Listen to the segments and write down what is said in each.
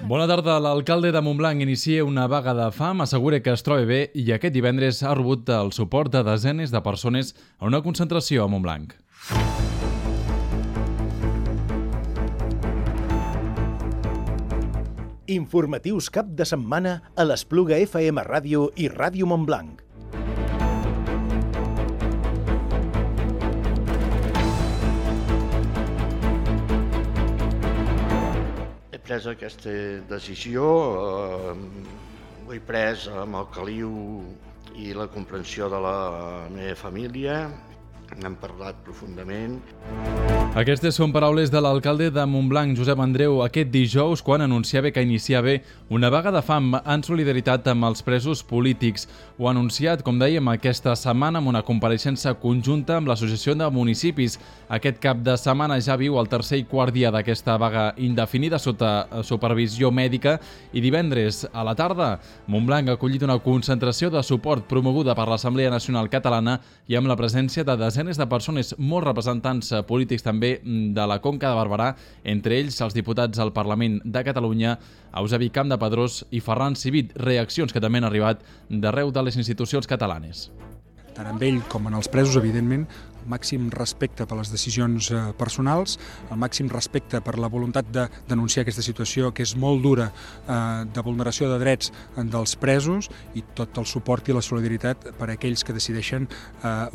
Bona tarda. L'alcalde de Montblanc inicia una vaga de fam, assegura que es troba bé i aquest divendres ha rebut el suport de desenes de persones a una concentració a Montblanc. Informatius cap de setmana a l'Espluga FM Ràdio i Ràdio Montblanc. He pres aquesta decisió, ho he pres amb el caliu i la comprensió de la meva família, n'hem parlat profundament. Aquestes són paraules de l'alcalde de Montblanc, Josep Andreu, aquest dijous, quan anunciava que iniciava una vaga de fam en solidaritat amb els presos polítics. Ho ha anunciat, com dèiem, aquesta setmana amb una compareixença conjunta amb l'Associació de Municipis. Aquest cap de setmana ja viu el tercer i quart dia d'aquesta vaga indefinida sota supervisió mèdica i divendres a la tarda Montblanc ha acollit una concentració de suport promoguda per l'Assemblea Nacional Catalana i amb la presència de desenes de persones, molts representants polítics també de la Conca de Barberà, entre ells els diputats al Parlament de Catalunya, Eusebi Campdepadrós i Ferran Civit, reaccions que també han arribat d'arreu de les institucions catalanes. Tant amb ell com en els presos, evidentment, el màxim respecte per les decisions personals, el màxim respecte per la voluntat de denunciar aquesta situació que és molt dura de vulneració de drets dels presos i tot el suport i la solidaritat per a aquells que decideixen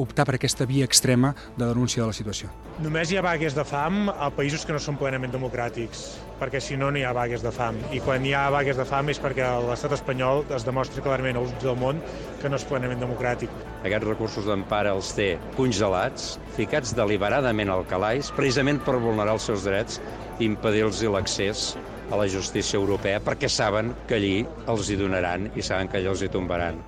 optar per aquesta via extrema de denúncia de la situació. Només hi ha vagues de fam a països que no són plenament democràtics, perquè si no, no hi ha vagues de fam. I quan hi ha vagues de fam és perquè l'estat espanyol es demostra clarament als ulls del món que no és plenament democràtic. Aquests recursos d'empara els té congelats, ficats deliberadament al calaix, precisament per vulnerar els seus drets i impedir-los l'accés a la justícia europea, perquè saben que allí els hi donaran i saben que allà els hi tombaran.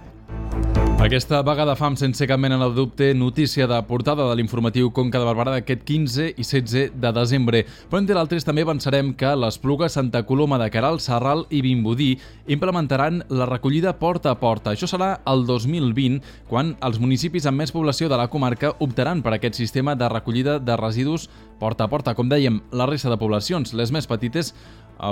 Aquesta vaga de fam, sense cap mena de dubte, notícia de portada de l'informatiu Conca de Barberà d'aquest 15 i 16 de desembre. Però entre d'altres també avançarem que l'Espluga, Santa Coloma de Queralt, Sarral i Vimbodí implementaran la recollida porta a porta. Això serà el 2020, quan els municipis amb més població de la comarca optaran per aquest sistema de recollida de residus porta a porta. Com dèiem, la resta de poblacions, les més petites,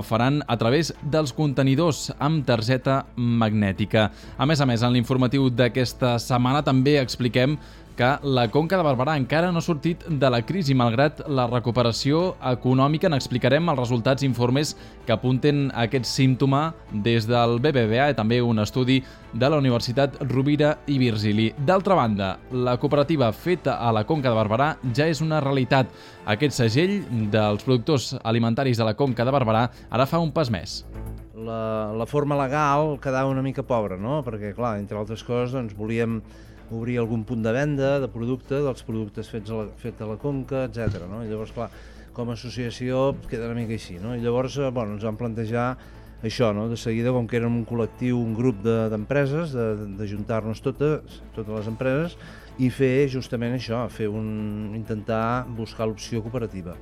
faran a través dels contenidors amb targeta magnètica. A més, en l'informatiu d'aquesta setmana també expliquem que la Conca de Barberà encara no ha sortit de la crisi, malgrat la recuperació econòmica. N'explicarem els resultats informes que apunten a aquest símptoma des del BBVA i també un estudi de la Universitat Rovira i Virgili. D'altra banda, la cooperativa feta a la Conca de Barberà ja és una realitat. Aquest segell dels productors alimentaris de la Conca de Barberà ara fa un pas més. La forma legal quedava una mica pobra, no? Perquè, clar, entre altres coses, doncs, volíem obrir algun punt de venda de producte, dels productes fets a la Conca, etc. No? I llavors, clar, com a associació queda una mica així, no? I llavors ens vam plantejar això, no? De seguida, com que érem un col·lectiu, un grup d'empreses, d'ajuntar-nos totes les empreses i fer justament això, intentar buscar l'opció cooperativa.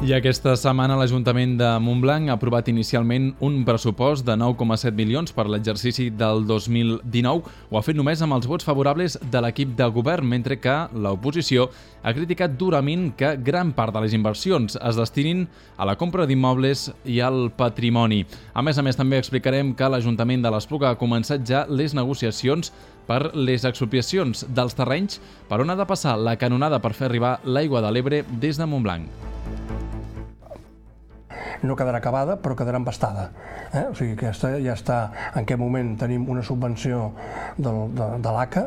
I aquesta setmana l'Ajuntament de Montblanc ha aprovat inicialment un pressupost de 9,7 milions per l'exercici del 2019. Ho ha fet només amb els vots favorables de l'equip de govern, mentre que l'oposició ha criticat durament que gran part de les inversions es destinin a la compra d'immobles i al patrimoni. A més, també explicarem que l'Ajuntament de l'Espluga ha començat ja les negociacions per les expropiacions dels terrenys per on ha de passar la canonada per fer arribar l'aigua de l'Ebre des de Montblanc. No quedarà acabada, però quedarà embastada. O sigui, aquesta ja està. En aquest moment tenim una subvenció de l'ACA,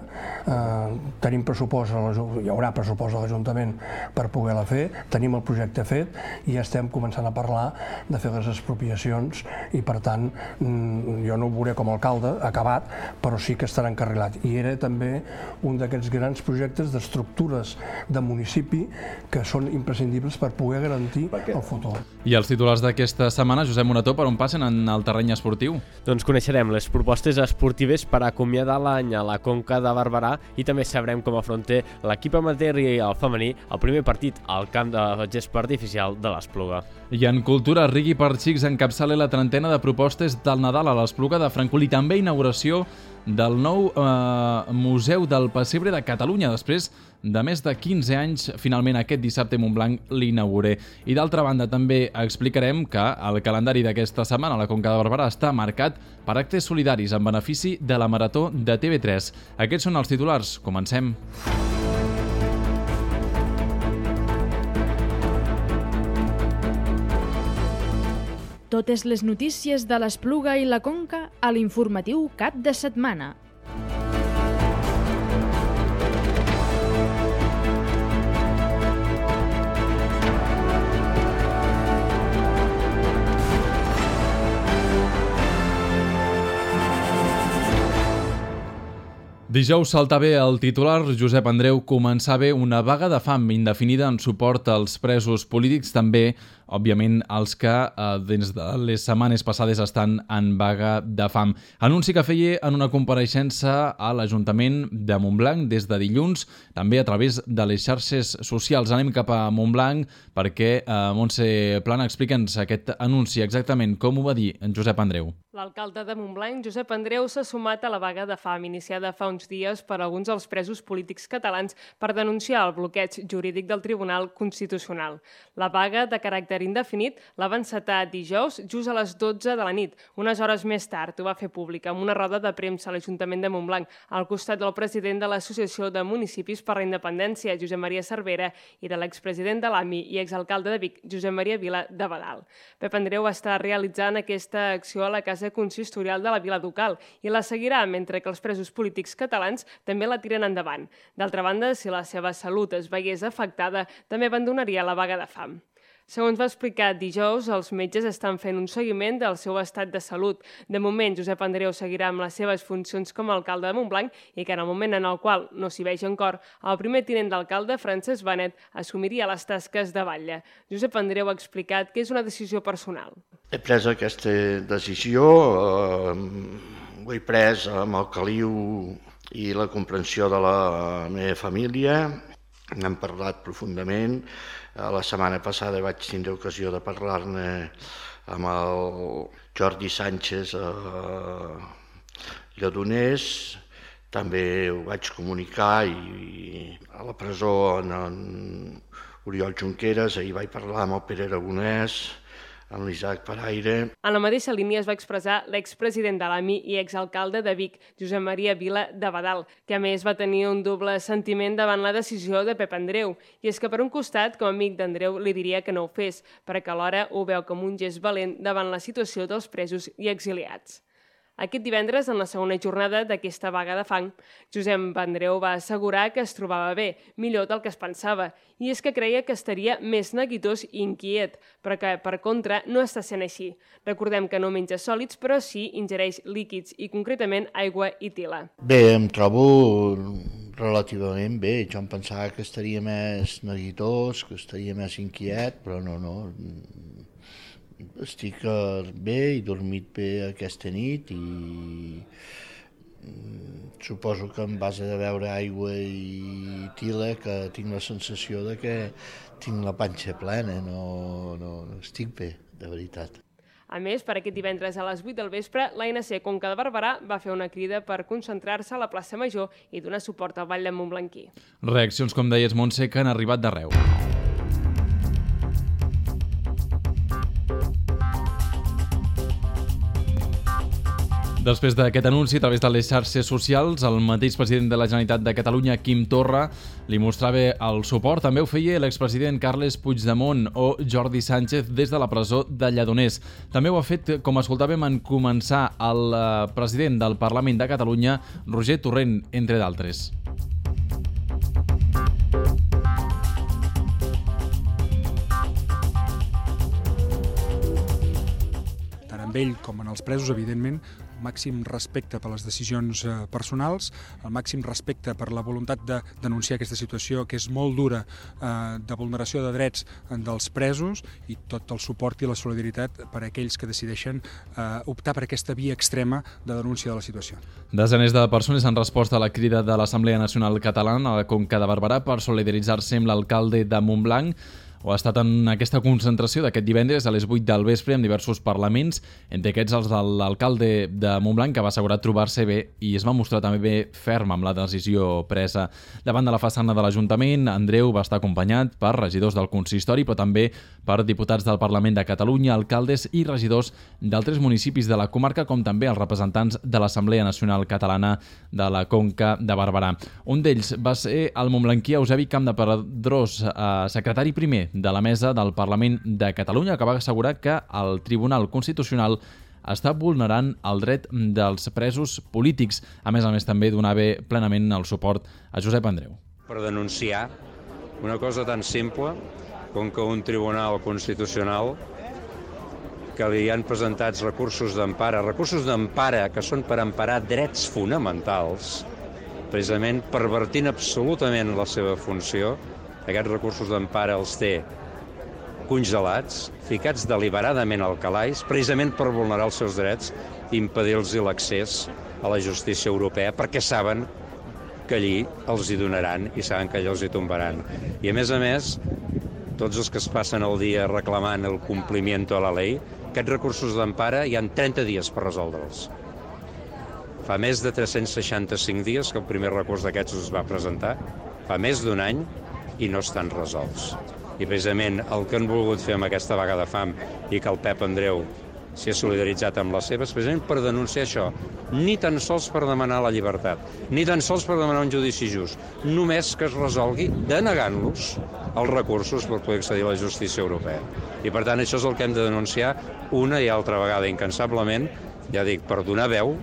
tenim pressupost, hi haurà pressupost a l'Ajuntament per poder-la fer, tenim el projecte fet i ja estem començant a parlar de fer les expropiacions i, per tant, jo no ho veuré com a alcalde acabat, però sí que estarà encarrilat. I era també un d'aquests grans projectes d'estructures de municipi que són imprescindibles per poder garantir el futur. I els titulars d'aquesta setmana, Josep Morató, per on passen en el terreny esportiu? Doncs coneixerem les propostes esportives per acomiadar l'any a la Conca de Barberà i també sabrem com afronta l'equip amateur i el femení el primer partit al camp de gespa artificial de l'Espluga. I en cultura, Rigui per Xics encapçala la trentena de propostes del Nadal a l'Espluga de Francolí. També inauguració del nou Museu del Pessebre de Catalunya, després de més de 15 anys, finalment aquest dissabte Montblanc l'inauguré. I d'altra banda també explicarem que el calendari d'aquesta setmana a la Conca de Barberà està marcat per actes solidaris en benefici de la Marató de TV3. Aquests són els titulars. Comencem. Totes les notícies de l'Espluga i la Conca a l'informatiu cap de setmana. Dijous salta bé el titular. Josep Andreu, començar bé una vaga de fam indefinida en suport als presos polítics, també, òbviament, els que des de les setmanes passades estan en vaga de fam. Anunci que feia en una compareixença a l'Ajuntament de Montblanc des de dilluns, també a través de les xarxes socials. Anem cap a Montblanc perquè Montse Plana, explica'ns aquest anunci exactament, com ho va dir en Josep Andreu. L'alcalde de Montblanc, Josep Andreu, s'ha sumat a la vaga de fam iniciada fa uns dies per alguns dels presos polítics catalans per denunciar el bloqueig jurídic del Tribunal Constitucional. La vaga, de caràcter indefinit, la va encetar dijous just a les 12 de la nit. Unes hores més tard ho va fer públic amb una roda de premsa a l'Ajuntament de Montblanc, al costat del president de l'Associació de Municipis per la Independència, Josep Maria Cervera, i de l'expresident de l'AMI i exalcalde de Vic, Josep Maria Vila de Badal. Pep Andreu està realitzant aquesta acció a la Casa Consistorial de la Vila Ducal i la seguirà mentre que els presos polítics catalans també la tiren endavant. D'altra banda, si la seva salut es veiés afectada, també abandonaria la vaga de fam. Segons va explicar dijous, els metges estan fent un seguiment del seu estat de salut. De moment, Josep Andreu seguirà amb les seves funcions com a alcalde de Montblanc i que en el moment en el qual no s'hi vegi en cor, el primer tinent d'alcalde, Francesc Benet, assumiria les tasques de batlle. Josep Andreu ha explicat que és una decisió personal. He pres aquesta decisió, ho he pres amb el caliu i la comprensió de la meva família. N'hem parlat profundament. La setmana passada vaig tindre ocasió de parlar-ne amb el Jordi Sánchez Lledoners. També ho vaig comunicar i a la presó en Oriol Junqueras. Ahir vaig parlar amb el Pere Aragonès, amb l'Isaac Paraire. En la mateixa línia es va expressar l'expresident de l'AMI i exalcalde de Vic, Josep Maria Vila de Badal, que a més va tenir un doble sentiment davant la decisió de Pep Andreu. I és que per un costat, com a amic d'Andreu, li diria que no ho fes, perquè alhora ho veu com un gest valent davant la situació dels presos i exiliats. Aquest divendres, en la segona jornada d'aquesta vaga de fam, Josep Andreu va assegurar que es trobava bé, millor del que es pensava, i és que creia que estaria més neguitós i inquiet, però que, per contra, no està sent així. Recordem que no menja sòlids, però sí ingereix líquids i, concretament, aigua i tila. Bé, em trobo relativament bé. Jo em pensava que estaria més neguitós, que estaria més inquiet, però no. Estic bé, he dormit bé aquesta nit i suposo que en base de beure aigua i tila que tinc la sensació de que tinc la panxa plena, no estic bé, de veritat. A més, per aquest divendres a les 8 del vespre, l'ANC Conca de Barberà va fer una crida per concentrar-se a la plaça Major i donar suport al Ball de Montblanquí. Reaccions, com deies, Montse, que han arribat d'arreu. Després d'aquest anunci, a través de les xarxes socials, el mateix president de la Generalitat de Catalunya, Quim Torra, li mostrava el suport. També ho feia l'expresident Carles Puigdemont o Jordi Sánchez des de la presó de Lledoners. També ho ha fet, com escoltàvem en començar, el president del Parlament de Catalunya, Roger Torrent, entre d'altres. Tant amb ell com en els presos, evidentment, màxim respecte per les decisions personals, el màxim respecte per la voluntat de denunciar aquesta situació que és molt dura de vulneració de drets dels presos i tot el suport i la solidaritat per a aquells que decideixen optar per aquesta via extrema de denúncia de la situació. Desenes de persones han respost a la crida de l'Assemblea Nacional Catalana a la Conca de Barberà per solidaritzar-se amb l'alcalde de Montblanc. o ha estat en aquesta concentració d'aquest divendres a les 8 del vespre amb diversos parlaments, entre aquests els de l'alcalde de Montblanc, que va assegurar trobar-se bé i es va mostrar també bé ferm amb la decisió presa. Davant de la façana de l'Ajuntament, Andreu va estar acompanyat per regidors del consistori, però també per diputats del Parlament de Catalunya, alcaldes i regidors d'altres municipis de la comarca, com també els representants de l'Assemblea Nacional Catalana de la Conca de Barberà. Un d'ells va ser el montblanquí Eusebi Campdepadrós, secretari primer de la mesa del Parlament de Catalunya, que va assegurar que el Tribunal Constitucional està vulnerant el dret dels presos polítics. A més també donava plenament el suport a Josep Andreu. Per denunciar una cosa tan simple com que un Tribunal Constitucional que li han presentats recursos d'empara que són per emparar drets fonamentals, precisament pervertint absolutament la seva funció. Aquests recursos d'empara els té congelats, ficats deliberadament al calaix, precisament per vulnerar els seus drets i impedir-los l'accés a la justícia europea, perquè saben que allí els hi donaran i saben que allà els hi tombaran. I a més, tots els que es passen el dia reclamant el compliment de la llei, aquests recursos d'empara hi ha 30 dies per resoldre'ls. Fa més de 365 dies que el primer recurs d'aquests es va presentar, fa més d'un any, i no estan resolts. I precisament el que han volgut fer amb aquesta vaga de fam i que el Pep Andreu s'hi ha solidaritzat amb les seves, precisament per denunciar això, ni tan sols per demanar la llibertat, ni tan sols per demanar un judici just, només que es resolgui denegant-los els recursos per poder accedir a la justícia europea. I per tant això és el que hem de denunciar una i altra vegada incansablement, ja dic, per donar veu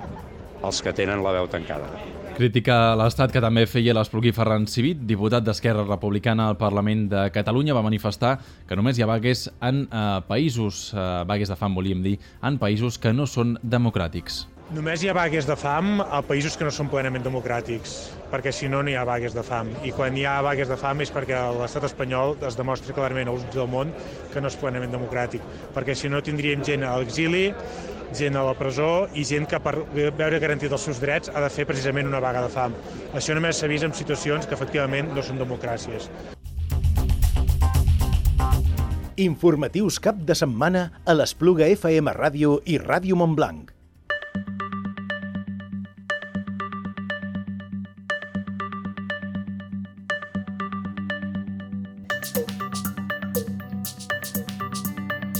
als que tenen la veu tancada. Crítica a l'Estat que també feia l'Espluguí Ferran Civit, diputat d'Esquerra Republicana al Parlament de Catalunya, va manifestar que només hi ha vagues en països, vagues de fam volíem dir, en països que no són democràtics. Només hi ha vagues de fam a països que no són plenament democràtics, perquè si no, no hi ha vagues de fam. I quan hi ha vagues de fam és perquè l'estat espanyol es demostra clarament als ulls del món que no és plenament democràtic, perquè si no tindríem gent a l'exili, gent a la presó i gent que per veure garantit els seus drets ha de fer precisament una vaga de fam. Això només s'ha vist en situacions que efectivament no són democràcies. Informatius cap de setmana a l'Espluga FM Ràdio i Ràdio Montblanc.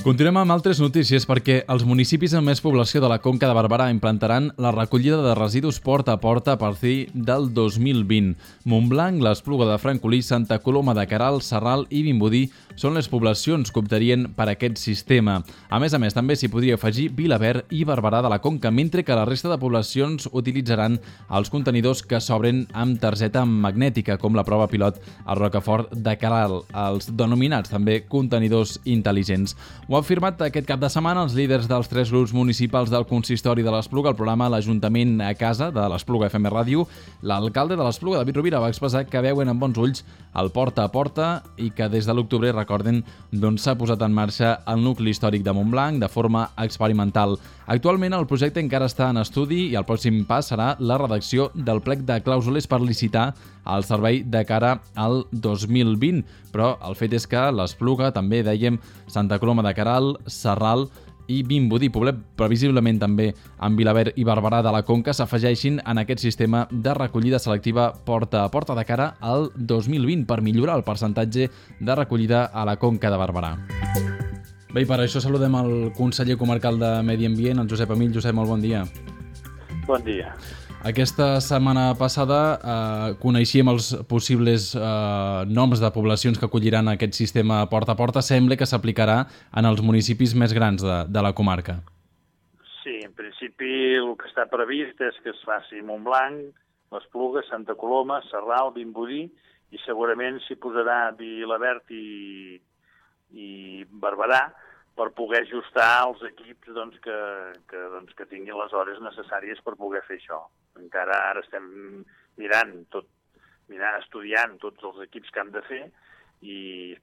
Continuem amb altres notícies perquè els municipis amb més població de la Conca de Barberà implantaran la recollida de residus porta a porta a partir del 2020. Montblanc, l'Espluga de Francolí, Santa Coloma de Queralt, Sarral i Vimbodí són les poblacions que optarien per aquest sistema. A més, també s'hi podria afegir Vilaverd i Barberà de la Conca, mentre que la resta de poblacions utilitzaran els contenidors que s'obren amb targeta magnètica, com la prova pilot a Rocafort de Queralt, els denominats també contenidors intel·ligents. Ho han firmat aquest cap de setmana els líders dels 3 grups municipals del consistori de l'Espluga, el programa L'Ajuntament a Casa de l'Espluga FM Ràdio. L'alcalde de l'Espluga, David Rovira, va expressar que veuen amb bons ulls el porta a porta i que des de l'octubre, recorden, s'ha posat en marxa el nucli històric de Montblanc de forma experimental. Actualment el projecte encara està en estudi i el pròxim pas serà la redacció del plec de clàusules per licitar el servei de cara al 2020. Però el fet és que l'Espluga, també dèiem, Santa Coloma de Queralt, Sarral i Vimbodí, Poblet, previsiblement també amb Vilaverd i Barberà de la Conca, s'afegeixin en aquest sistema de recollida selectiva porta a porta de cara al 2020 per millorar el percentatge de recollida a la Conca de Barberà. Bé, i per això saludem el conseller comarcal de Medi Ambient, el Josep Amill. Josep, molt bon dia. Bon dia. Aquesta setmana passada coneixíem els possibles noms de poblacions que acolliran aquest sistema porta a porta. Sembla que s'aplicarà en els municipis més grans de la comarca. Sí, en principi el que està previst és que es faci Montblanc, l'Espluga, Santa Coloma, Sarral, Vimbodí, i segurament s'hi posarà Vilaverd i Barberà, per poder ajustar els equips que tinguin les hores necessàries per poder fer això. Encara ara estem estudiant tots els equips que han de fer,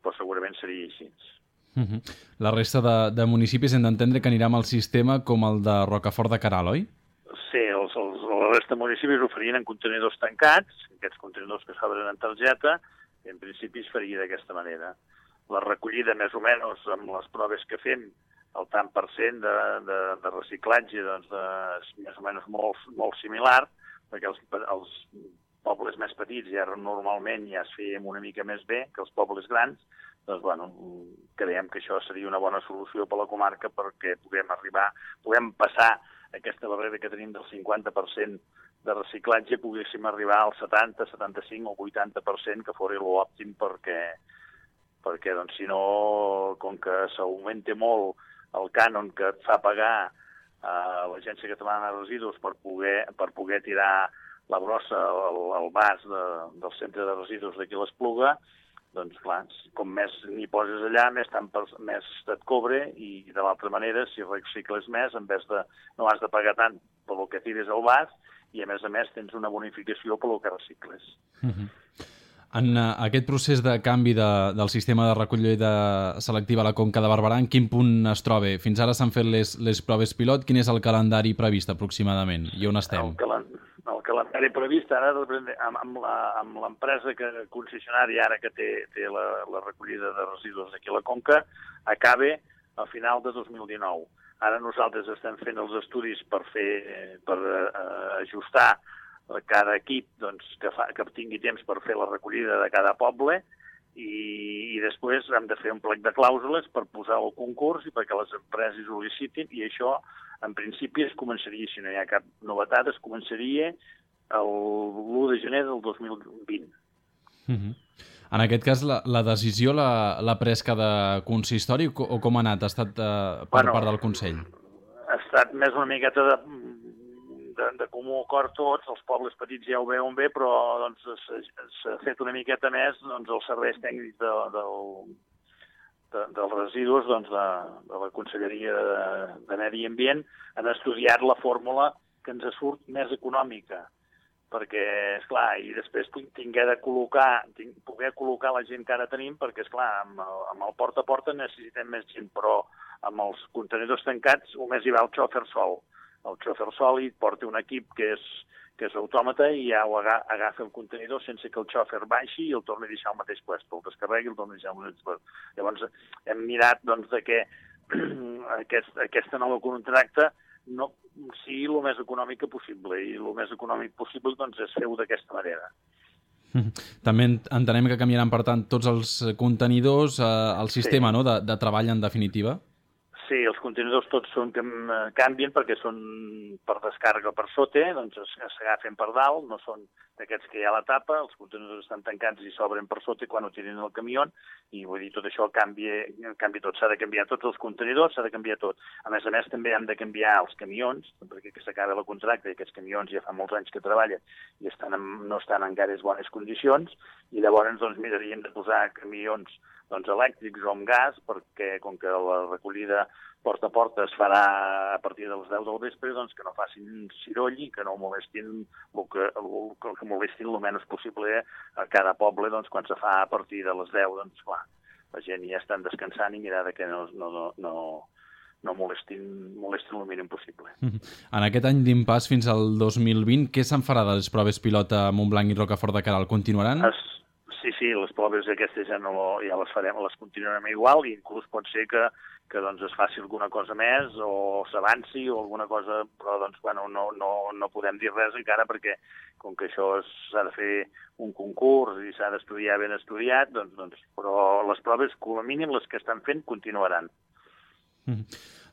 però segurament seria així. La resta de municipis hem d'entendre que anirà amb el sistema com el de Rocafort de Queralt, oi? Sí, la resta de municipis ho farien en contenidors tancats, aquests contenidors que s'obren en targeta, en principi es faria d'aquesta manera. la recollida més o menys amb les proves que fem, el tant per cent de reciclatge doncs, és més o menys molt similar, perquè els pobles més petits ja normalment ja es feien una mica més bé que els pobles grans, doncs bueno, creiem que això seria una bona solució per la comarca perquè puguem passar aquesta barrera que tenim del 50% de reciclatge, poguéssim arribar al 70, 75 o 80%, que fos l'òptim perquè doncs, si no, com que s'augmenta molt el cànon que et fa pagar l'Agència Catalana de Residus per poder tirar la brossa al vas del centre de residus d'aquí l'Espluga, doncs clar, com més n'hi poses allà, més et cobre, i de l'altra manera, si recicles més, en vez de no has de pagar tant pel que tires al vas, i a més tens una bonificació pel que recicles. En aquest procés de canvi del sistema de recollida selectiva a la Conca de Barberà, en quin punt es troba? Fins ara s'han fet les proves pilot. Quin és el calendari previst aproximadament? I on estem? El calendari previst ara amb l'empresa concessionària ara que té la recollida de residus aquí a la Conca acaba a final de 2019. Ara nosaltres estem fent els estudis per ajustar cada equip doncs, que tingui temps per fer la recollida de cada poble i després hem de fer un plec de clàusules per posar el concurs i perquè les empreses ho licitin, i això en principi es començaria, si no hi ha cap novetat, es començaria l'1 de gener del 2020. En aquest cas, la decisió l'ha pres cada consistori o com ha anat? Ha estat per part del Consell? Ha estat més una miqueta de comú acord tots, els pobles petits ja ho veuen bé, però doncs, s'ha fet una miqueta més doncs, els serveis tècnics dels residus doncs, de la Conselleria de Medi Ambient han estudiat la fórmula que ens surt més econòmica, perquè, esclar, i després poder col·locar la gent que ara tenim, perquè, esclar, amb el porta a porta necessitem més gent, però amb els contenidors tancats només hi va el xòfer sol. El xòfer sol hi porta un equip que és autòmata i ja ho agafa el contenidor sense que el xòfer baixi i el torni a deixar al mateix lloc, el descarregui i el torni a deixar al mateix lloc. Llavors hem mirat doncs, que aquesta nova contracte sigui el més econòmic possible, i el més econòmic possible doncs, és fer-ho d'aquesta manera. També entenem que canviaran, per tant, tots els contenidors, el sistema de treball en definitiva? Sí, els contenidors tots canvien perquè són per descàrrega per sota, doncs s'agafen per dalt, no són d'aquests que hi ha a la tapa, els contenidors estan tancats i s'obren per sota quan ho tiren al camió, i vull dir, tot això canvia tot, s'ha de canviar tots els contenidors, s'ha de canviar tot. A més també hem de canviar els camions, perquè s'acaba el contracte i aquests camions ja fa molts anys que treballen i no estan en gaires bones condicions, i llavors doncs, miraríem de posar camions elèctrics o amb gas, perquè com que la recollida porta a porta es farà a partir de les 10 del vespre, doncs que no facin ciroll i que no molestin que molestin el menys possible a cada poble, doncs quan se fa a partir de les 10, doncs clar, la gent ja estan descansant i mirar que no molestin el mínim possible. En aquest any d'impàs fins al 2020, què se'n farà de les proves pilot a Montblanc i Rocafort de Queralt? Continuaran? Sí, les proves aquestes ja les farem, les continuarem igual, i inclús pot ser que doncs, es faci alguna cosa més o s'avanci o alguna cosa, però doncs, bueno, no podem dir res encara perquè com que això s'ha de fer un concurs i s'ha d'estudiar ben estudiat, doncs, però les proves, com a mínim, les que estan fent, continuaran.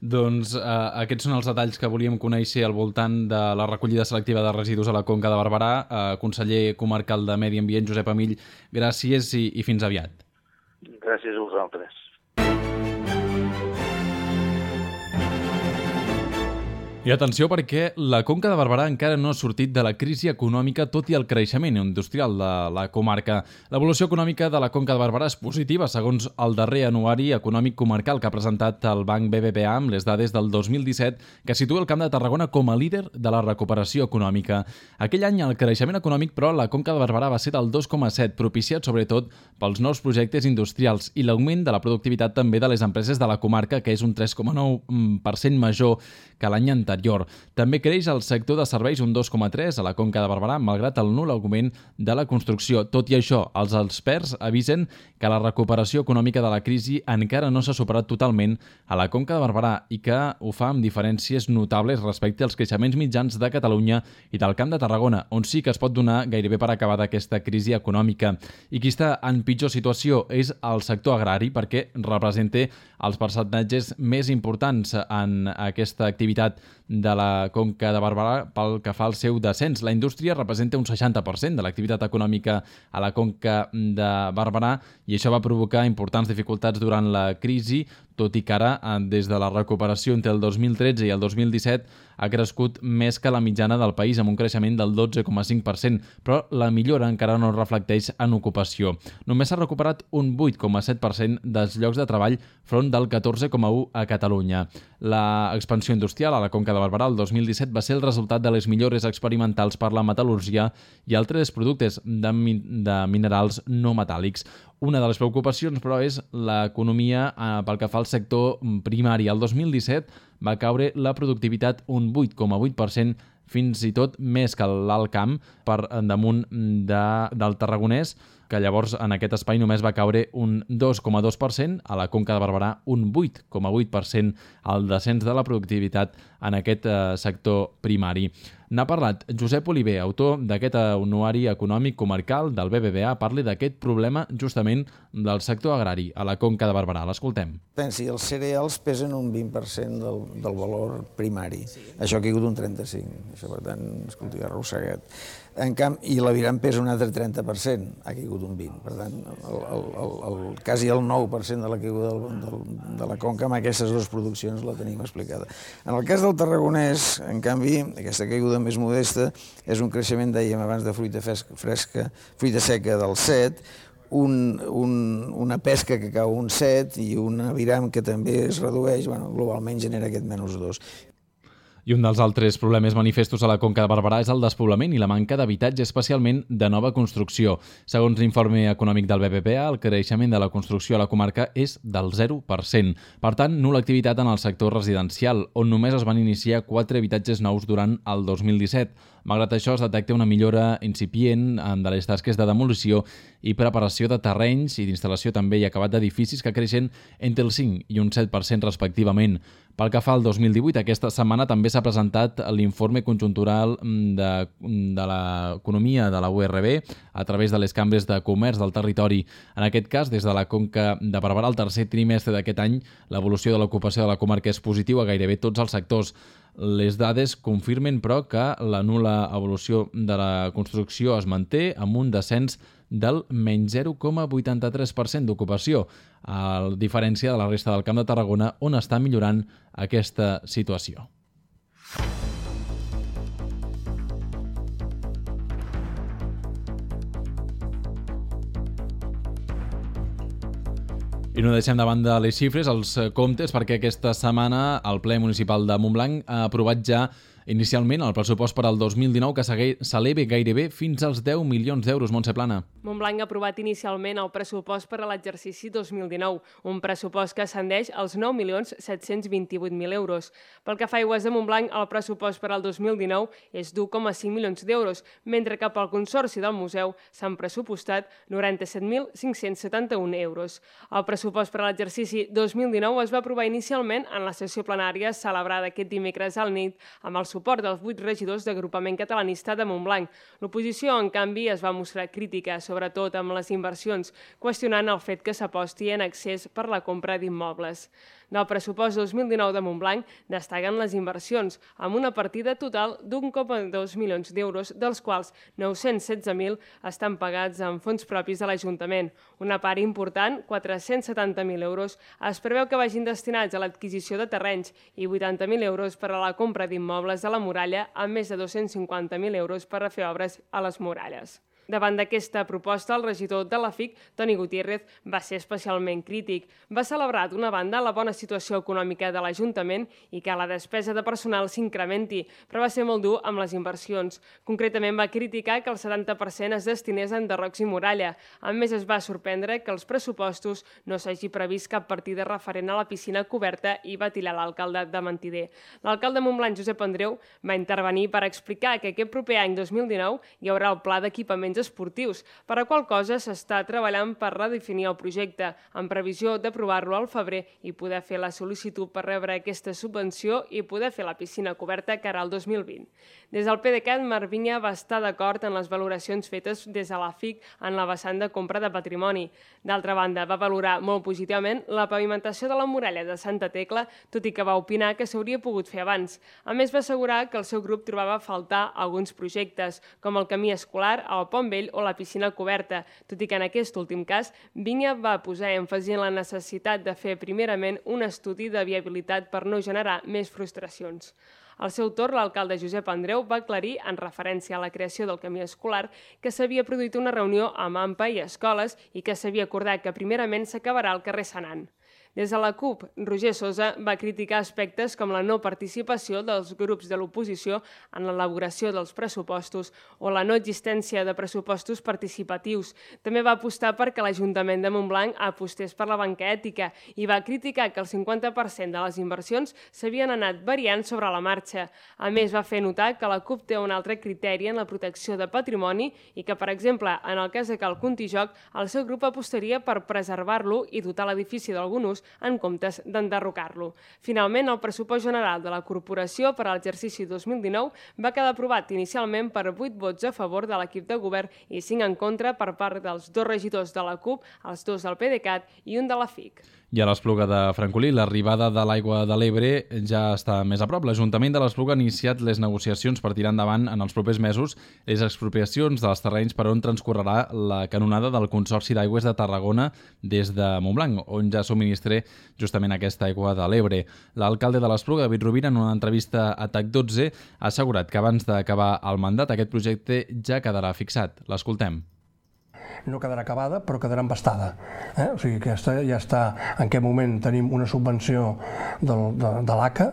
Doncs aquests són els detalls que volíem conèixer al voltant de la recollida selectiva de residus a la Conca de Barberà. Conseller comarcal de Medi Ambient, Josep Amill, gràcies i fins aviat. Gràcies a vosaltres. I atenció, perquè la Conca de Barberà encara no ha sortit de la crisi econòmica tot i el creixement industrial de la comarca. L'evolució econòmica de la Conca de Barberà és positiva, segons el darrer anuari econòmic comarcal que ha presentat el Banc BBVA amb les dades del 2017, que situa el Camp de Tarragona com a líder de la recuperació econòmica. Aquell any el creixement econòmic, però, a la Conca de Barberà va ser del 2,7, propiciat sobretot pels nous projectes industrials i l'augment de la productivitat també de les empreses de la comarca, que és un 3,9% major que l'any anterior. anterior. També creix el sector de serveis un 2,3% a la Conca de Barberà, malgrat el nul augment de la construcció. Tot i això, els experts avisen que la recuperació econòmica de la crisi encara no s'ha superat totalment a la Conca de Barberà i que ho fa amb diferències notables respecte als creixements mitjans de Catalunya i del Camp de Tarragona, on sí que es pot donar gairebé per acabada aquesta crisi econòmica. I qui està en pitjor situació és el sector agrari, perquè representa els percentatges més importants en aquesta activitat de la Conca de Barberà pel que fa al seu descens. La indústria representa un 60% de l'activitat econòmica a la Conca de Barberà i això va provocar importants dificultats durant la crisi, tot i que ara, des de la recuperació entre el 2013 i el 2017, ha crescut més que la mitjana del país, amb un creixement del 12,5%, però la millora encara no reflecteix en ocupació. Només s'ha recuperat un 8,7% dels llocs de treball front del 14,1% a Catalunya. La expansió industrial a la Conca de Barberà el 2017 va ser el resultat de les millores experimentals per la metal·lúrgia i altres productes de minerals no metàl·lics. Una de les preocupacions, però, és l'economia pel que fa al sector primari. El 2017 va caure la productivitat un 8,8%, fins i tot més que l'Alt Camp, per damunt del Tarragonès, que llavors en aquest espai només va caure un 2,2%, a la Conca de Barberà un 8,8% el descens de la productivitat en aquest sector primari. N'ha parlat Josep Oliver, autor d'aquest anuari econòmic comarcal del BBVA, parla d'aquest problema justament del sector agrari a la Conca de Barberà. L'escoltem. Pensi, els cereals pesen un 20% del valor primari. Això ha caigut un 35%. Això, per tant, escolti, ha arrossegat. En canvi, i l'aviram pesa un altre 30%, ha caigut un 20%. Per tant, quasi el 9% de la caiguda de la Conca amb aquestes dues produccions la tenim explicada. En el cas del Tarragonès, en canvi, aquesta caiguda més modesta és un creixement, dèiem abans, de fruita seca del 7%, una pesca que cau un 7% i un aviram que també es redueix, globalment genera aquest -2%. I un dels altres problemes manifestos a la Conca de Barberà és el despoblament i la manca d'habitatge, especialment de nova construcció. Segons l'informe econòmic del BBVA, el creixement de la construcció a la comarca és del 0%. Per tant, nul·la activitat en el sector residencial, on només es van iniciar 4 habitatges nous durant el 2017. Malgrat això, es detecta una millora incipient de les tasques de demolició i preparació de terrenys i d'instal·lació també i acabat d'edificis que creixen entre el 5 i un 7% respectivament. Pel que fa al 2018, aquesta setmana també s'ha presentat l'informe conjuntural de l'economia de la URB a través de les cambres de comerç del territori. En aquest cas, des de la Conca de Barberà, el tercer trimestre d'aquest any, l'evolució de l'ocupació de la comarca és positiu a gairebé tots els sectors. Les dades confirmen, però, que la nul·la evolució de la construcció es manté amb un descens del menys 0,83% d'ocupació, a diferència de la resta del Camp de Tarragona, on està millorant aquesta situació. I no deixem de banda les xifres, els comptes, perquè aquesta setmana el ple municipal de Montblanc ha aprovat ja inicialment el pressupost per al 2019 que s'eleva gairebé fins als 10 milions d'euros. Montse Plana. Montblanc ha aprovat inicialment el pressupost per a l'exercici 2019, un pressupost que ascendeix als 9.728.000 euros. Pel que fa a Aigües de Montblanc, el pressupost per al 2019 és d'1,5 milions d'euros, mentre que pel Consorci del Museu s'han pressupostat 97.571 euros. El pressupost per a l'exercici 2019 es va aprovar inicialment en la sessió plenària celebrada aquest dimecres al nit amb el suport dels 8 regidors d'Agrupament Catalanista de Montblanc. L'oposició, en canvi, es va mostrar crítica, sobretot amb les inversions, qüestionant el fet que s'aposti en accés per la compra d'immobles. Del pressupost 2019 de Montblanc destaquen les inversions, amb una partida total d'1,2 milions d'euros, dels quals 916.000 estan pagats amb fons propis de l'Ajuntament. Una part important, 470.000 euros, es preveu que vagin destinats a l'adquisició de terrenys i 80.000 euros per a la compra d'immobles de la muralla, amb més de 250.000 euros per a fer obres a les muralles. Davant d'aquesta proposta, el regidor de la FIC, Toni Gutiérrez, va ser especialment crític. Va celebrar, d'una banda, la bona situació econòmica de l'Ajuntament i que la despesa de personal s'incrementi, però va ser molt dur amb les inversions. Concretament, va criticar que el 70% es destinés a enderrocs i muralla. A més, es va sorprendre que els pressupostos no s'hagi previst cap partida referent a la piscina coberta i va tirar l'alcalde de mentider. L'alcalde de Montblanc, Josep Andreu, va intervenir per explicar que aquest proper any 2019 hi haurà el pla d'equipaments esportius, per a qual cosa s'està treballant per redefinir el projecte, en previsió d'aprovar-lo al febrer i poder fer la sol·licitud per rebre aquesta subvenció i poder fer la piscina coberta cara al 2020. Des del PDeCAT, Marc Vinya va estar d'acord en les valoracions fetes des de la FIC en la vessant de compra de patrimoni. D'altra banda, va valorar molt positivament la pavimentació de la muralla de Santa Tecla, tot i que va opinar que s'hauria pogut fer abans. A més, va assegurar que el seu grup trobava a faltar alguns projectes, com el camí escolar, el Pont Vell o la piscina coberta, tot i que en aquest últim cas, Vinya va posar èmfasi en la necessitat de fer primerament un estudi de viabilitat per no generar més frustracions. Al seu torn, l'alcalde Josep Andreu va aclarir, en referència a la creació del camí escolar, que s'havia produït una reunió amb AMPA i escoles i que s'havia acordat que primerament s'acabarà al carrer Senan. Des de la CUP, Roger Sosa va criticar aspectes com la no participació dels grups de l'oposició en l'elaboració dels pressupostos o la no existència de pressupostos participatius. També va apostar perquè l'Ajuntament de Montblanc apostés per la banca ètica i va criticar que el 50% de les inversions s'havien anat variant sobre la marxa. A més, va fer notar que la CUP té un altre criteri en la protecció de patrimoni i que, per exemple, en el cas de Cal Contijoc, el seu grup apostaria per preservar-lo i dotar l'edifici d'algun ús en comptes d'enderrocar-lo. Finalment, el pressupost general de la corporació per a l'exercici 2019 va quedar aprovat inicialment per 8 vots a favor de l'equip de govern i 5 en contra per part dels 2 regidors de la CUP, els 2 del PDeCAT i un de la FIC. I a l'Espluga de Francolí, l'arribada de l'aigua de l'Ebre ja està més a prop. L'Ajuntament de l'Espluga ha iniciat les negociacions per tirar endavant en els propers mesos les expropiacions dels terrenys per on transcorrerà la canonada del Consorci d'Aigües de Tarragona des de Montblanc, on ja subministra justament aquesta aigua de l'Ebre. L'alcalde de l'Espluga, David Rovira, en una entrevista a TAC12, ha assegurat que abans d'acabar el mandat aquest projecte ja quedarà fixat. L'escoltem. No quedarà acabada, però quedarà embastada. O sigui, aquesta ja està... En aquest moment tenim una subvenció de l'ACA,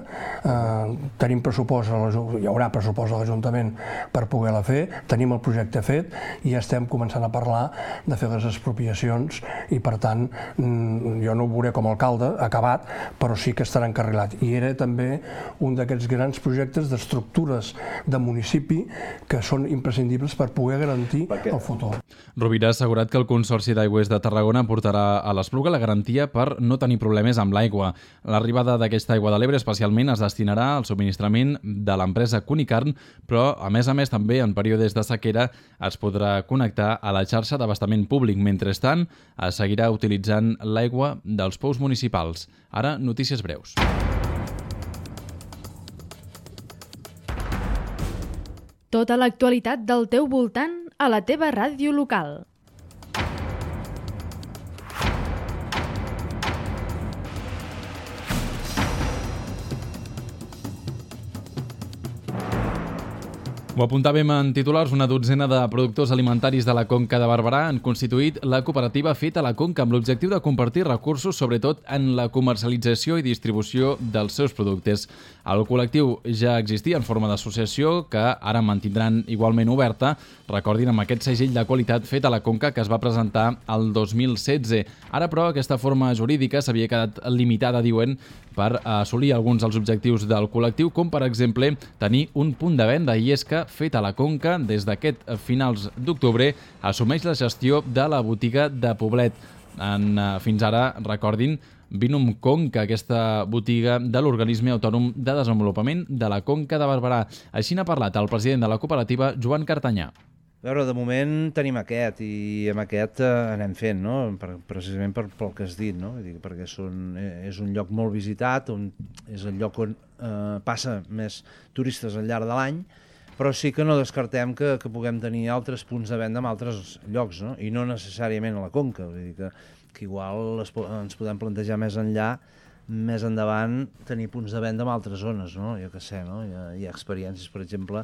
tenim pressupost, hi haurà pressupost a l'Ajuntament per poder-la fer, tenim el projecte fet i ja estem començant a parlar de fer les expropiacions i, per tant, jo no ho veuré com a alcalde acabat, però sí que estarà encarrilat. I era també un d'aquests grans projectes d'estructures de municipi que són imprescindibles per poder garantir el futur. Rovira ha assegurat que el Consorci d'Aigües de Tarragona portarà a l'Espluga la garantia per no tenir problemes amb l'aigua. L'arribada d'aquesta aigua de l'Ebre especialment es destinarà al subministrament de l'empresa Cunicarn, però a més també en períodes de sequera es podrà connectar a la xarxa d'abastament públic. Mentrestant, es seguirà utilitzant l'aigua dels pous municipals. Ara, notícies breus. Tota l'actualitat del teu voltant a la teva ràdio local. Ho apuntàvem en titulars, una dotzena de productors alimentaris de la Conca de Barberà han constituït la cooperativa Feta la Conca amb l'objectiu de compartir recursos, sobretot en la comercialització i distribució dels seus productes. El col·lectiu ja existia en forma d'associació, que ara mantindran igualment oberta, recordin, amb aquest segell de qualitat Feta la Conca que es va presentar el 2016. Ara, però, aquesta forma jurídica s'havia quedat limitada, diuen, per assolir alguns dels objectius del col·lectiu, com per exemple tenir un punt de venda, i és que Feta la Conca, des d'aquest finals d'octubre, assumeix la gestió de la botiga de Poblet. Fins ara, recordin, Vinum Conca, aquesta botiga de l'Organisme Autònom de Desenvolupament de la Conca de Barberà. Així n'ha parlat el president de la cooperativa, Joan Cartanyà. A veure, de moment tenim aquest i amb aquest anem fent, no? Precisament pel que has dit, no? Perquè és un lloc molt visitat, és el lloc on passa més turistes al llarg de l'any, però sí que no descartem que puguem tenir altres punts de venda en altres llocs, no? I no necessàriament a la Conca, vull dir que igual ens podem plantejar més enllà, més endavant, tenir punts de venda en altres zones, no? Jo què sé, no? Hi ha experiències, per exemple,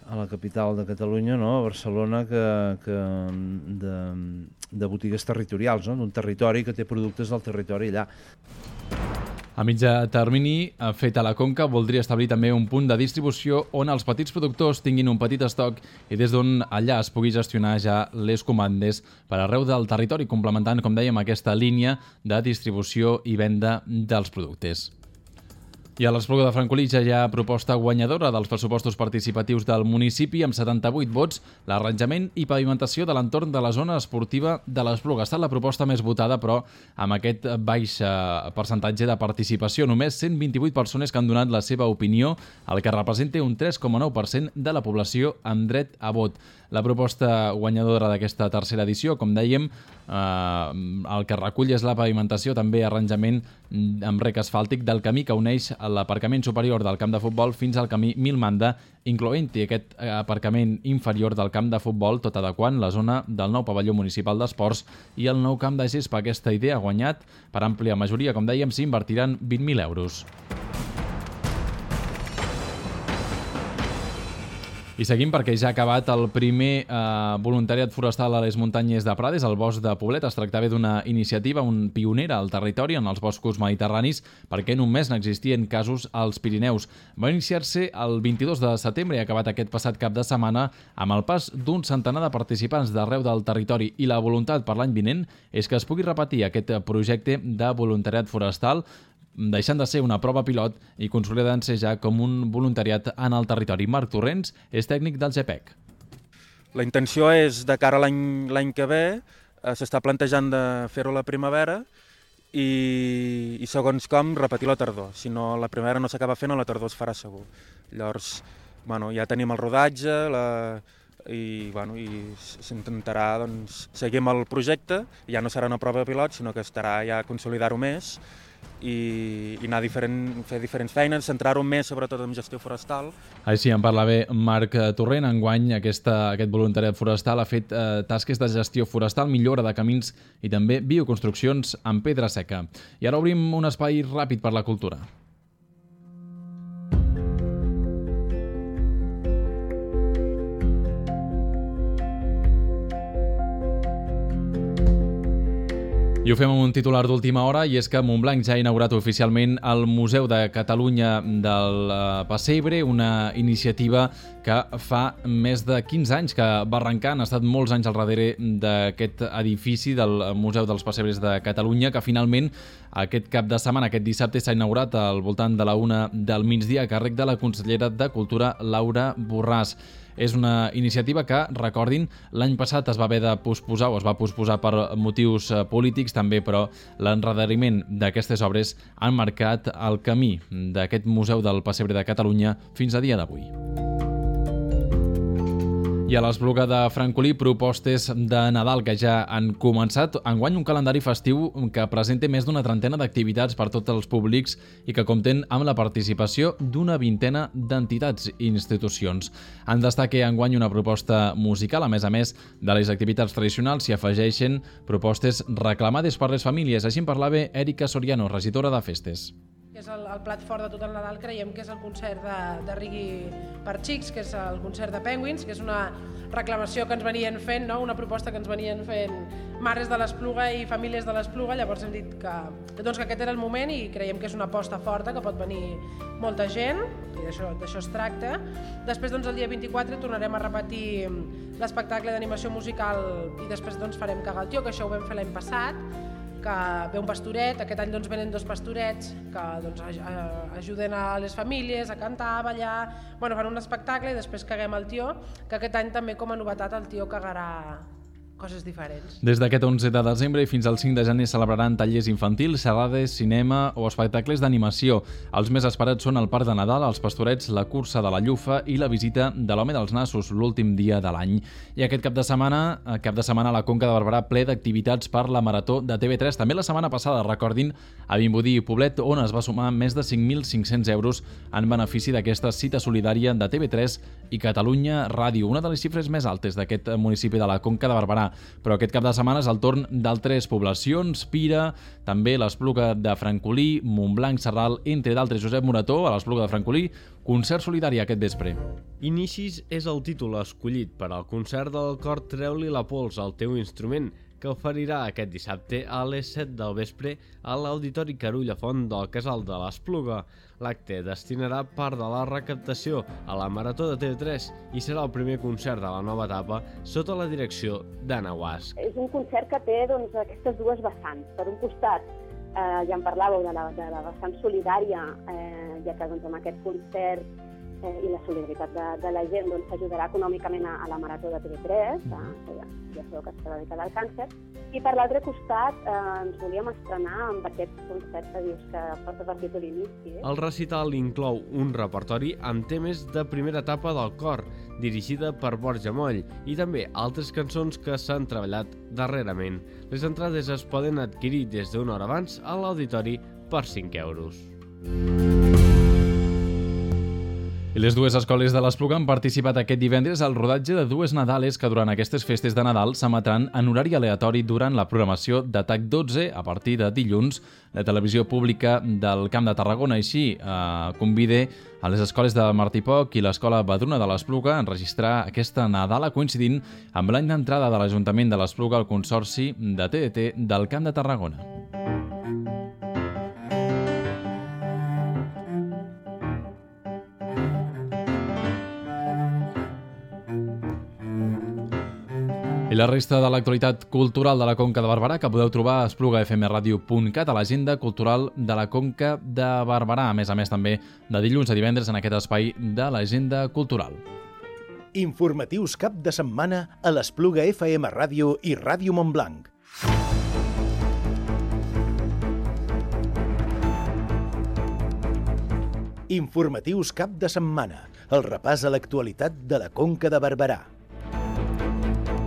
a la capital de Catalunya, no? A Barcelona, que de botigues territorials, no? D'un territori que té productes del territori allà. A mitjà termini, Feta la Conca voldria establir també un punt de distribució on els petits productors tinguin un petit estoc i des d'on allà es pugui gestionar ja les comandes per arreu del territori, complementant, com dèiem, aquesta línia de distribució i venda dels productes. I a l'Espluga de Francolí ja hi ha proposta guanyadora dels pressupostos participatius del municipi amb 78 vots, l'arranjament i pavimentació de l'entorn de la zona esportiva de l'Espluga. Ha estat la proposta més votada, però amb aquest baix percentatge de participació. Només 128 persones que han donat la seva opinió, el que representa un 3,9% de la població amb dret a vot. La proposta guanyadora d'aquesta tercera edició, com dèiem, el que recull és la pavimentació, també arranjament amb rec asfàltic del camí que uneix l'aparcament superior del camp de futbol fins al camí Milmanda, incloent-hi aquest aparcament inferior del camp de futbol, tot adequant la zona del nou pavelló municipal d'esports i el nou camp de gespa. Aquesta idea ha guanyat per àmplia majoria, com dèiem, s'invertiran 20.000 euros. I seguim perquè ja ha acabat el primer voluntariat forestal a les muntanyes de Prades, al bosc de Poblet. Es tractava d'una iniciativa pionera al territori en els boscos mediterranis perquè només n'existien casos als Pirineus. Va iniciar-se el 22 de setembre i ha acabat aquest passat cap de setmana amb el pas d'un centenar de participants d'arreu del territori i la voluntat per l'any vinent és que es pugui repetir aquest projecte de voluntariat forestal deixant de ser una prova pilot i consolidant-se ja com un voluntariat en el territori. Marc Torrents és tècnic del GPEC. La intenció és, de cara a l'any que ve, s'està plantejant de fer-ho a la primavera i segons com repetir la tardor. Si no, la primavera no s'acaba fent, a la tardor es farà segur. Llavors, ja tenim el rodatge i s'intentarà seguir amb el projecte. Ja no serà una prova pilot, sinó que estarà ja a consolidar-ho més i anar fer diferents feines, centrar-ho més sobretot en gestió forestal. Així en parla bé Marc Torrent. Enguany aquest voluntariat forestal ha fet tasques de gestió forestal, millora de camins i també bioconstruccions amb pedra seca. I ara obrim un espai ràpid per la cultura. I ho fem amb un titular d'última hora, i és que Montblanc ja ha inaugurat oficialment el Museu de Catalunya del Pessebre, una iniciativa que fa més de 15 anys que va arrencar. Han estat molts anys al darrere d'aquest edifici del Museu dels Pessebres de Catalunya, que finalment aquest cap de setmana, aquest dissabte, s'ha inaugurat al voltant de la 1 del migdia a càrrec de la consellera de Cultura, Laura Borràs. És una iniciativa que, recordin, l'any passat es va haver de posposar o es va posposar per motius polítics també, però l'endarreriment d'aquestes obres han marcat el camí d'aquest Museu del Pessebre de Catalunya fins a dia d'avui. I a l'Espluga de Francolí, propostes de Nadal que ja han començat. Enguany un calendari festiu que presenta més d'una trentena d'activitats per tots els públics i que compten amb la participació d'una vintena d'entitats i institucions. En destaca enguany una proposta musical. A més de les activitats tradicionals s'hi afegeixen propostes reclamades per les famílies. Així en parlava Èrica Soriano, regidora de Festes. Que és el plat fort de tot el Nadal, creiem que és el concert de Rigui per xics, que és el concert de Penguins, que és una reclamació que ens venien fent, no? Una proposta que ens venien fent mares de l'Espluga i famílies de l'Espluga. Llavors hem dit que aquest era el moment i creiem que és una aposta forta, que pot venir molta gent, i d'això es tracta. Després, el dia 24 tornarem a repetir l'espectacle d'animació musical i després farem Caga el tio, que això ho vam fer l'any passat, que ve un pastoret. Aquest any venen 2 pastorets que ajuden a les famílies a cantar, a ballar, fan un espectacle i després caguem el tio, que aquest any també com a novetat el tio cagarà coses diferents. Des d'aquest 11 de desembre i fins al 5 de gener celebraran tallers infantils, xerrades, cinema o espectacles d'animació. Els més esperats són el Parc de Nadal, els Pastorets, la cursa de la Llufa i la visita de l'Home dels Nassos, l'últim dia de l'any. I aquest cap de setmana a la Conca de Barberà ple d'activitats per la Marató de TV3. També la setmana passada, recordin, a Vimbodí i Poblet, on es va sumar més de 5.500 euros en benefici d'aquesta cita solidària de TV3 i Catalunya Ràdio, una de les xifres més altes d'aquest municipi de la Conca de Barberà. Però aquest cap de setmana és el torn d'altres poblacions, Pira, també l'Espluga de Francolí, Montblanc, Sarral, entre d'altres. Josep Morató, a l'Espluga de Francolí, concert solidari aquest vespre. Inicis és el títol escollit per al concert del cor Treu-li la pols al teu instrument, que oferirà aquest dissabte a les 7 del vespre a l'Auditori Carulla Font del Casal de l'Espluga. L'acte destinarà part de la recaptació a la Marató de TV3 i serà el primer concert de la nova etapa sota la direcció d'Anna Guasch. És un concert que té aquestes dues vessants. Per un costat, ja en parlàveu de la vessant solidària, ja que amb aquest concert i la solidaritat de la gent s'ajudarà econòmicament a la Marató de TV3, ja sabeu que està dedicada al càncer, i per l'altre costat ens volíem estrenar amb aquest concert que dius que porta per títol Inici. El recital inclou un repertori amb temes de primera etapa del cor, dirigida per Borja Moll, i també altres cançons que s'han treballat darrerament. Les entrades es poden adquirir des d'una hora abans a l'auditori per 5 euros. I les dues escoles de l'Espluga han participat aquest divendres al rodatge de dues Nadales que durant aquestes festes de Nadal s'emetran en horari aleatori durant la programació de TAC 12 a partir de dilluns. La televisió pública del Camp de Tarragona així convida a les escoles de Martí Poch i l'Escola Badruna de l'Espluga a enregistrar aquesta Nadala coincidint amb l'any d'entrada de l'Ajuntament de l'Espluga al Consorci de TDT del Camp de Tarragona. I la resta de l'actualitat cultural de la Conca de Barberà que podeu trobar a esplugafmradio.cat a l'agenda cultural de la Conca de Barberà. A més també de dilluns a divendres en aquest espai de l'agenda cultural. Informatius cap de setmana a l'Espluga FM Ràdio i Ràdio Montblanc. Informatius cap de setmana. El repàs a l'actualitat de la Conca de Barberà.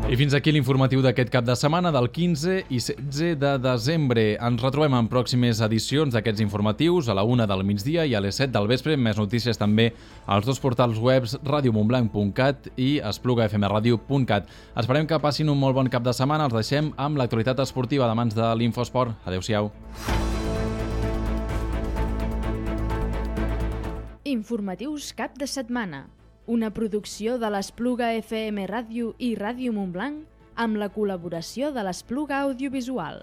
I fins aquí l'informatiu d'aquest cap de setmana del 15 i 16 de desembre. Ens retrobem en pròximes edicions d'aquests informatius a la 1 del migdia i a les 7 del vespre. Més notícies també als dos portals webs radiomontblanc.cat i esplugafmradio.cat. Esperem que passin un molt bon cap de setmana. Els deixem amb l'actualitat esportiva de mans de l'Infosport. Adéu-siau. Informatius cap de setmana. Una producció de l'Espluga FM Ràdio i Ràdio Montblanc amb la col·laboració de l'Espluga Audiovisual.